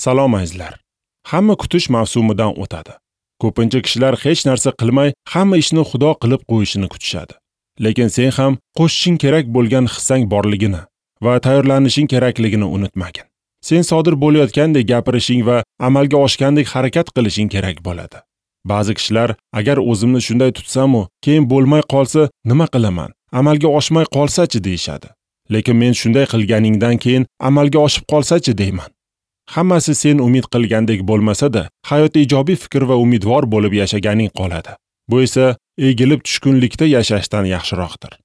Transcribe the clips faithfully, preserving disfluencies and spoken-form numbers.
Salom azizlar. Hamma kutish mavsumidan o'tadi. Ko'pincha kishilar hech narsa qilmay, hamma ishni Xudo qilib qo'yishini kutishadi. Lekin sen ham qo'shishing kerak bo'lgan hissang borligini va tayyorlanishing kerakligini unutmagin. Sen sodir bo'layotgandek gapirishing va amalga oshgandek harakat qilishing kerak bo'ladi. Ba'zi kishilar, agar o'zimni shunday tutsam-u, keyin bo'lmay qolsa nima qilaman? Amalga oshmay qolsa-chi deyishadi. Lekin men shunday qilganingdan keyin amalga oshib qolsa-chi deyman. Hammasi sen umid qilgandek bo'lmasa-da, hayotda ijobiy fikr va umidvor bo'lib yashaganing qoladi. Bu esa egilib tushkunlikda yashashdan yaxshiroqdir.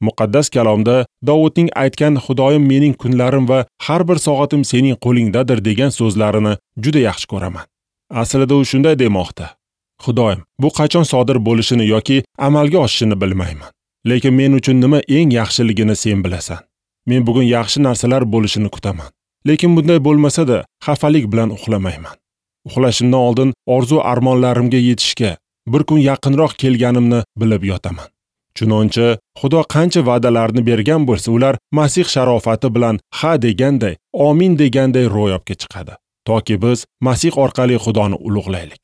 Muqaddas kalomda Davudning aytgan Xudoyim mening kunlarim va har bir soatim sening qo'lingdadir degan so'zlarini juda yaxshi ko'raman. Aslida u shunday demoqda: Xudoyim, bu qachon sodir bo'lishini yoki amalga oshishini bilmayman. Lekin men uchun nima eng yaxshiligini sen bilasan. Men bugun yaxshi narsalar bo'lishini kutaman. Lekin bunday bo'lmasa-da, xafalik bilan uxlamayman. Uxlashimdan oldin orzu armonlarimga yetishga bir kun yaqinroq kelganimni bilib yotaman. Chunonchi, Xudo qancha va'dalarni bergan bo'lsa, ular Masih sharofati bilan ha deganday, amin deganday ro'yobga chiqadi. Toki biz Masih orqali Xudoni ulug'laylik.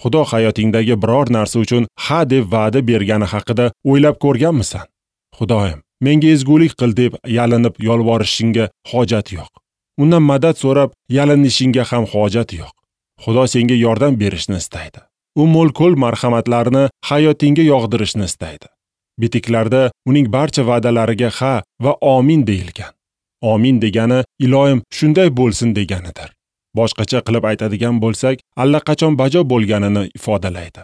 Xudo hayotingdagi biror narsa uchun ha deb va'da bergani haqida o'ylab ko'rganmisan? Xudoyim, menga ezgulik qil deb yalinib yolvorishingga hojat yo'q. Undan madad so'rab yalinishingga ham hojat yo'q. Xudo senga yordam berishni istaydi. U mo'l-ko'l marhamatlarini hayotingga yog'dirishni istaydi. Bitiklarda uning barcha va'dalariga ha va amin deyilgan. Amin degani iloyim shunday bo'lsin deganidir. Boshqacha qilib aytadigan bo'lsak, allaqachon bajo bo'lganini ifodalaydi.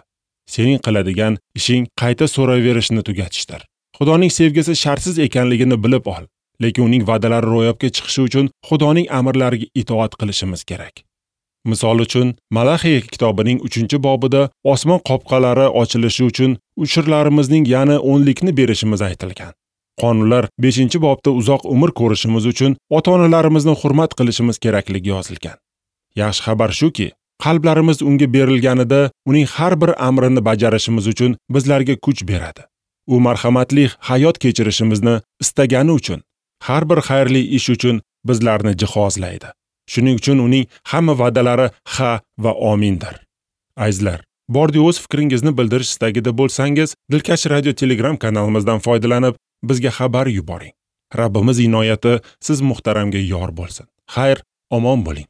Sening qiladigan ishing qayta so'raverishni tugatishdir. Xudoning sevgisi shartsiz ekanligini bilib ol, lekin uning va'dalari ro'yobga chiqishi uchun Xudoning amrlariga itoat qilishimiz kerak. Misol uchun, Malaxiya kitobining uchinchi bobida osmon qopqalari ochilishi uchun ushurlarimizning yana o'nlikni berishimiz aytilgan. Qonunlar beshinchi bobda uzoq umr ko'rishimiz uchun ota-onalarimizni hurmat qilishimiz kerakligi yozilgan. Yaxshi xabar shuki, qalblarimiz unga berilganida uning har bir amrini bajarishimiz uchun bizlarga kuch beradi. U marhamatli hayot kechirishimizni istagani uchun har bir xayrli ish uchun bizlarni jihozlaydi. Shuning uchun uning hamma va'dalari ha va amindir. Azizlar, bordi o'z fikringizni bildirish istagida bo'lsangiz, Dilkash Radio Telegram kanalimizdan foydalanib bizga xabar yuboring. Rabbimiz inoyati siz muhtaramga yor bo'lsin. Xayr, omon bo'ling.